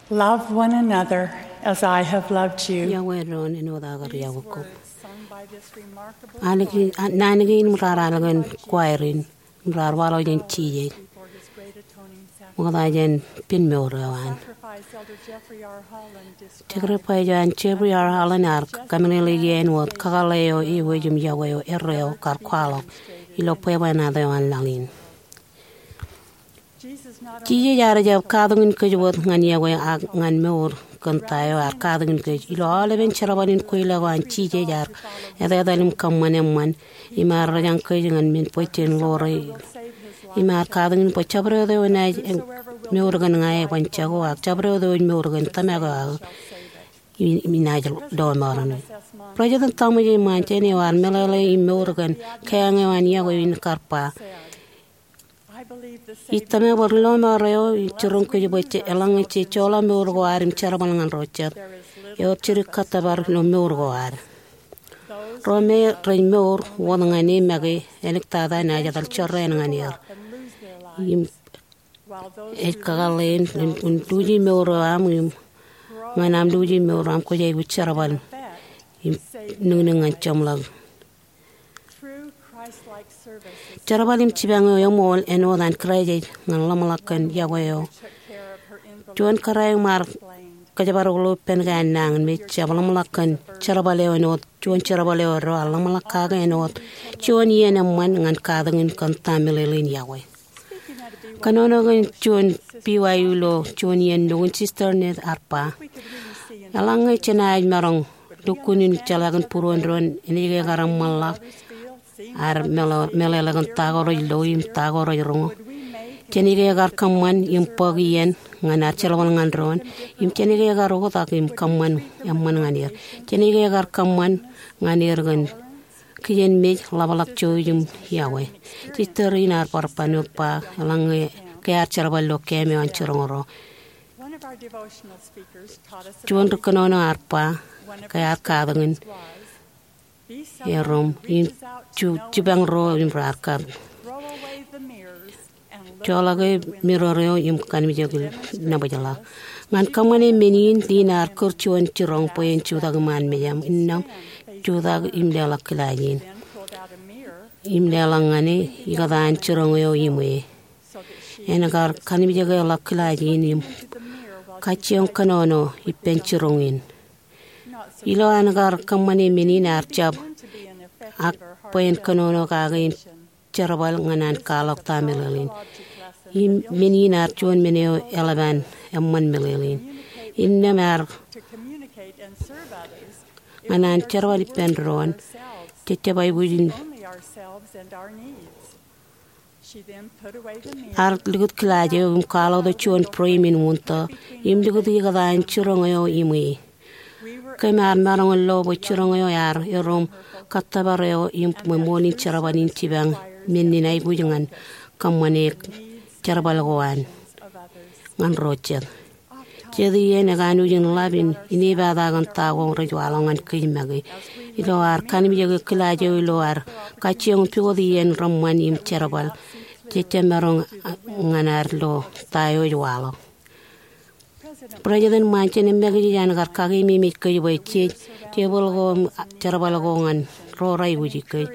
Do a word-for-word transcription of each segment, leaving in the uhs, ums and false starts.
Love one another as I have loved you. Iọkwe doon āinwōt aō kar iọkwe kōm. Naan kein im raar al kōn choir in im raar waḷọk jān Jisōs ṃokta jān pen mour eo an. Sacrifice eo an Jeffrey R. Holland ear kameḷeḷeiki āinwōt kakōḷḷe eo ewōj im iọkwe eo erreo kar kwaḷọk ilo bwebwenato eo an laḷ in. Jisōs ear jab katakin kōj wōt ñan iọkwe ak ñan mour kōn ta eo ear katakin kōj. Ilo aolepen jerbal in kweilọk eo an, Jisōs ear etetal im kōṃṃan eṃṃan im ear rōjañ kōj ñan men bwe jen ḷoore. Im ear katakin bwe jabdewōt eo enaaj mour kōn ña eban jako, ak jabdewōt eo ej mour kōn Tōmak eo aō enaaj lọmọọren e. President Thomas S. Monson eo ear meḷeḷe im mour kōn keañ eo an iọkwe in kar ba, ij tōmak bwe ri lọmọọr eo ej jiroñ kōj bwe eḷaññe jej joḷọk mour ko ad im jerbal ñan ro jet, ewōr jidik kōttōpar ilo mour ko ad. Ro me rej mour wōt ñan e make, āliktata enaaj etal jorrāān ñan er. Im ej kakōḷḷe in, in luuji mour eo aṃ im ñan aṃ luuji mour eo aṃ kwōj aikuj jerbal im niknik ñan jeṃḷọk. Jerbal im jipañ eo eṃool āinwōt an Kraist ej ñan ḷōmṇak kōn iọkwe eo. Juon kōrā eo im ar kōjparok ilo ippān ke an nañinmej, jab ḷōmṇak kōn jerbal eo āinwōt juon jerbal eo erro, ear ḷōmṇak kake āinwōt juon iien eṃṃan ñan katakin kōn ta meḷeḷein iọkwe. Kōnono kōn juon B Y U ilo juon iien nukun, Sister Nett ear ba, eḷaññe jenaaj maroñ lukkuun in jeḷā kōn būruon doon, enaaj ke kar eṃṃanḷọk ad meḷeḷe kōn ta ko rej lo im ta ko rej roño? Jenaaj ke kar kōṃṃan im bōk iien ñan ad jerbal ñan doon? Im jenaaj ke kar oktak im kōṃṃan eṃṃan ñan er? Jenaaj ke kar kōṃṃan ñan er kōn kijenmej, ḷapḷọk, jouj im iọkwe? Sister in ear bar ban wōt ba, eḷaññe ke ear jerbal ilo keememej eo an jiroñ ro. Juon ri kōnono ear ba, ke ear katakin erom im ju-, jipañ ro im raar kar joḷọke mirror eo im kanmijek in nōbōjḷọk. Ñan kōṃṃane men in, Lynn ear kūr juon jiroñ bwe en jutak iṃaan mejaṃ, innām jutak im leḷọk kilaaj in im leḷọk ñan e ikōtaan jiroñ eo iṃwe. En kar kanmijekḷọk kilaaj in im kajjioñ kōnono ippān jiroñ in. Ilo an kar kōṃṃane men in, ear jab ak bwe en kōnono kake im jerbal ñan an kwaḷọk ta meḷeḷein. Im men in ear juon men eo eḷap an eṃṃan meḷeḷein. Innām ear ñan an jerbal ippān doon, jejjab aikuj in ear likūt kilaaj eo im kwaḷọktok juon frame in wūntō im likūt ikōtaan jiroñ eo iṃwe. Kōm ar maroñ in lo bwe jiroñ eo ear erom kōttōpar eo im ṃōṃool in jerbal in jipañ men in aikuj ñan kōṃṃane jerbal ko an ñan ro jet. Jet iien ekanooj in ḷap in inepata kōn ta ko rej waḷọk ñan kōj make. Ilo ad kanmijeke kilaaj eo ilo ad kajjioñ pukot iien reṃṃan im jerbal, jejjab maroñ ñan ad lo ta eo ej waḷọk. President Monson emmakūt ej an kar kakememej kōj bwe jej, tebōḷ ko, jerbal ko ñan ro rej aikuji kōj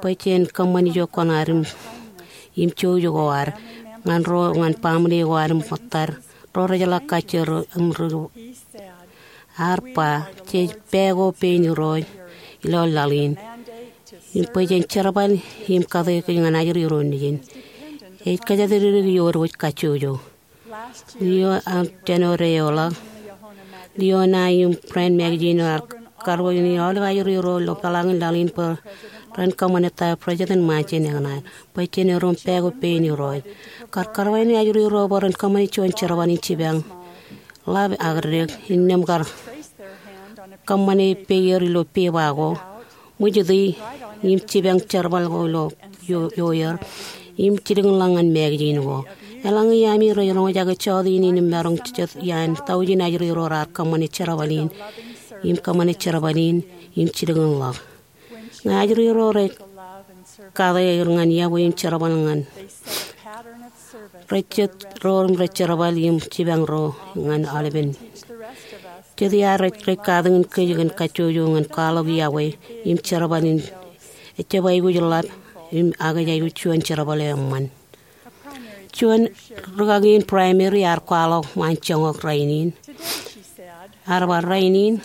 bwe jen kōṃṃan ijo kuṇaad im, im jouj ko ad ñan ro, ñan baaṃle ko ad im ṃōttad ro rej jeḷā kajjioñ im ri. Ear ba, jej pāko pein Irooj ilo laḷ in im bwe jen jerbal im kate kōj ñan ajri ro nejin. Ej kōjatdikdik iood wōj kajjojo. Ilo an jān wōt eoḷọk, Leona im Brand magazine eo ear karuwainene aolep ajri ro ilo peḷaakin laḷ in bwe ren kōṃṃane ta eo President Monson ekōṇaan, bwe jen erom pāko pein Irooj. Kar karuwainene ajri ro bwe ren kōṃṃane juon jerbal in jipañ ḷap ak dek, innām kar kōṃṃane peier ilo pepa ko, ṃwijiti im jipañ jerbal ko ilo io-, ioer im jilkinḷọk ñan magazine ko. Eḷaññe iaami rej roñjake jọteen in im maroñ jet iaan taujin ajri ro raar kōṃṃane jerbal in im kōṃṃane jerbal in im jilkinḷọk. Ñe ajri ro rej kate er ñan iọkwe im jerbal ñan Rej jet ro im rej jerbal im jipañ ro ñan aolepen. Jet iar rej, rej katakin kōj kōn kajjojo ñan kwaḷọk yokwe im jerbal in ejjab aikuj ḷap im ak ej aikuj juon jerbal eo eṃṃan. Juon rūkaki in primary ear kwaḷọk waanjoñak rainin. Ear ba, rainin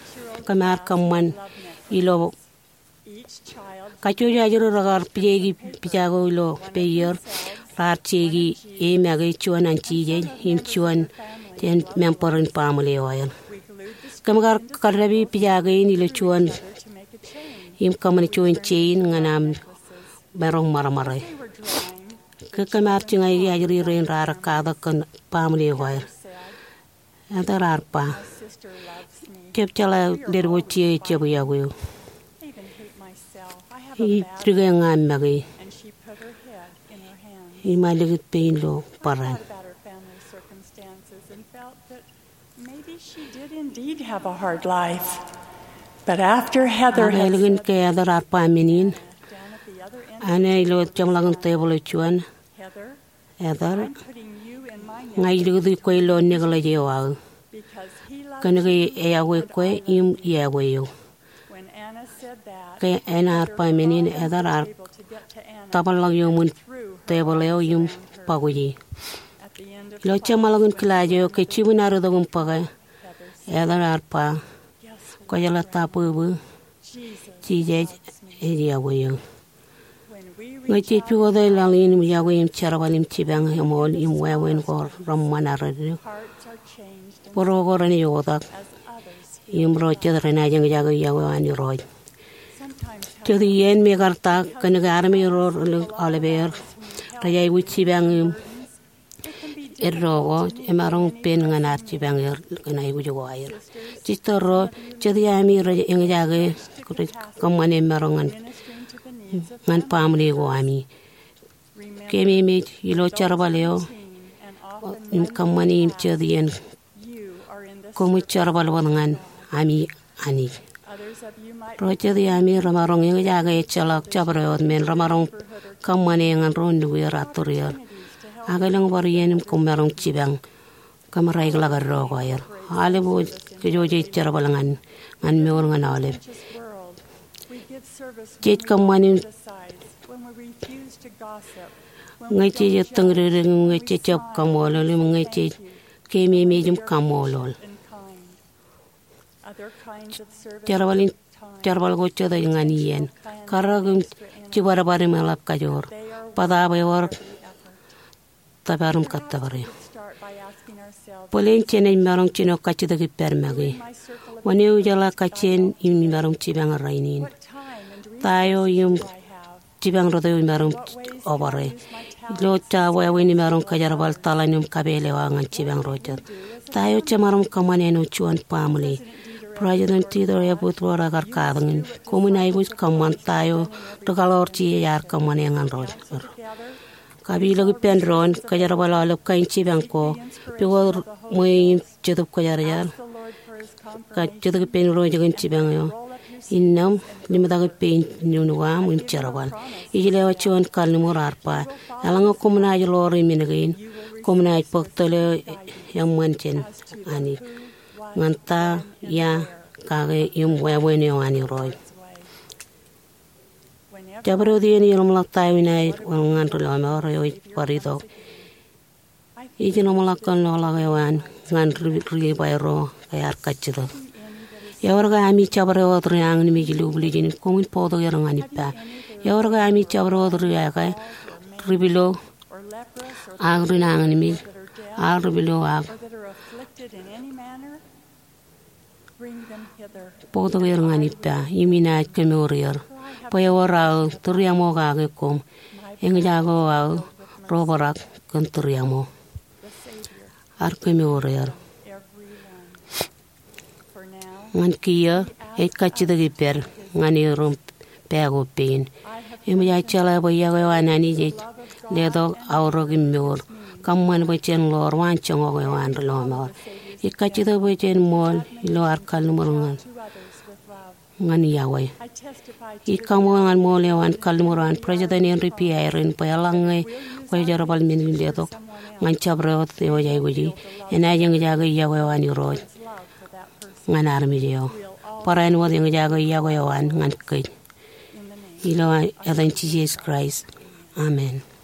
kōm ar kōṃṃan ilo kajjojo ajri rekar pijeki pija ko ilo peier, raar jeki e make, juon an jijej im juon jān member in baaṃle eo aer. Kōm kar kaddāpi pija kein ilo juon im kōṃṃan juon jein ñan aṃ maroñ ṃarṃare. Ke kōm ar jiñaiki ajri rein raar katak kōn baaṃle eo aer. Heather ear ba, jab jeḷā ledwōj eo ejjab yokwe eō. Ij dike ña make. Im ear likūt pein ilo bōran. Maybe she did indeed have a hard life. But after Heather Ak had ālikin ke Heather ear ba men in, down at the other end of āne ilo jeṃḷọkin tebōḷ eo juon, Heather, Heather, I'm putting you in my ña ij likūti kwe ilo nekleje eo aō. Because he loves kōn ke you, eyokwe and kwe I love im you. Eyokwe eō. When Anna said that, Ke Anna ear ba men in, Heather ear tōpar ḷọk iuṃwin tebōḷ eo im bōkuji. Ilo jeṃḷọkin kilaaj eo, ke jibwin ear itok im bōke, Heather ear ba, kwōjeḷā ta bwebwe, Jisōs ej yokwe eō. Ñe jej pukot laḷ in im yokwe im jerbal im jipañ eṃool im wāween ko reṃṃan arredik, bōro ko renaaj oktak im ro jet renaaj eñjake yokwe eo an Irooj. Jet iien me kar ta kōn ke armej ro ri aoleper rej aikuj jipañ im eddo ko emaroñ pen ñan ad jipañ er kōn aikuj ko aer. Sister ro, jet iaami rej eñjake, rej kōṃṃane maroñ ñan, ñan baaṃle ko ami. Keememej ilo jerbal eo im kōṃṃani im jet iien koṃij jerbal wōt ñan ami Anij. Ro jet iaami remaroñ eñjake ejjeḷọk jabdewōt men remaroñ kōṃṃane ñan ro nukuer, atturier, ak elōñ bar iien im koṃ maroñ jipañ kōmraikḷọk eddo ko aer. Aolep wōj kōj jerbal ñan, ñan mour ñan aolep. Jej kōṃṃan im ñe jej ettōñdikdik, ñe jej jab kaṃṃoolol, im ñe jej keememej im kaṃṃoolol. Jerbal in, jerbal ko jet ej ñan iien. Karōk im jibadbad im eḷap kajoor. Bōtaab ewōr tōpar im kōttōpar eō. Bōlen jenaaj maroñ jino kajjitōk ippād make. Wōn eo ijeḷā kajjien im imaroñ jipañ rainin? Ta eo im jipañ rot eo imaroñ obare? Ilo ta wāween imaroñ kōjerbal taḷan im kapeel eo aō ñan jipañ ro jet? Ta eo jemaroñ kōṃṃan āinwōt juon baaṃle? President Dieter F. Uchtdorf ekar katakin, koṃwin aikuj kōṃṃan ta eo ri kaḷoor jiej ear kōṃṃane ñan ro. Kapilōk ippān doon, kōjerbal aolep kain jipañ ko, pukot ṃweiuk im Jetōb Kwōjarjar, kajjitōk ippān Irooj kōn jipañ eo. Innām limtak ippān nuknuk aṃ im jerbal. Ij lewōj juon kalliṃur ear ba, eḷaññe koṃ naaj ḷoor e men kein, koṃ naaj bōk tōl eo eṃṃan jān Anij ñan ta, ia, kake im wāween eo an Irooj. Jabdewōt iien eḷapḷọk ta eo inaaj wōnṃaanḷọk ri lọmọọr eo ej bar itok, ij ḷōmṇak kōn loḷọk eo an ñan ri, ri Lebi ro ke ear kajjitōk. Ewōr ke ami jabdewōt ri añinmej lublijin, koṃwin bōktok er ñan ippa. Ewōr ke ami jabdewōt ri eke, ri pilo, ak ri añinmej, ak ri pilo ak Bōktok er ñan ippa im inaaj kemour er. Bwe ewōr aō tūriaṃo kake koṃ. Eñjake aō ro bōrak kōn tūriaṃo. Ear kemour er. Ñan kiiō, ej kajjitōk ippād ñan erom pā ko pein. Eṃōj aō jeḷā bwe yokwe eo an Anij ej letok aorōk im mour. Kōṃṃan bwe jen ḷoor waanjoñak eo an ri lọmọọr. Ij kajjitōk bwe jen ṃool ilo ad kalliṃur ñan ñan yokwe. Ij kaṃṃool ñan ṃool eo an kalliṃur eo an President Henry B. Eyring bwe eḷaññe kwōjerbal men in letok ñan jabdewōt eo ej aikuji, enaaj eñjake yokwe eo an Irooj ñan armej eo. Barāinwōt eñjake yokwe eo an ñan kōj. Ilo etan Jisōs Kraist, amen.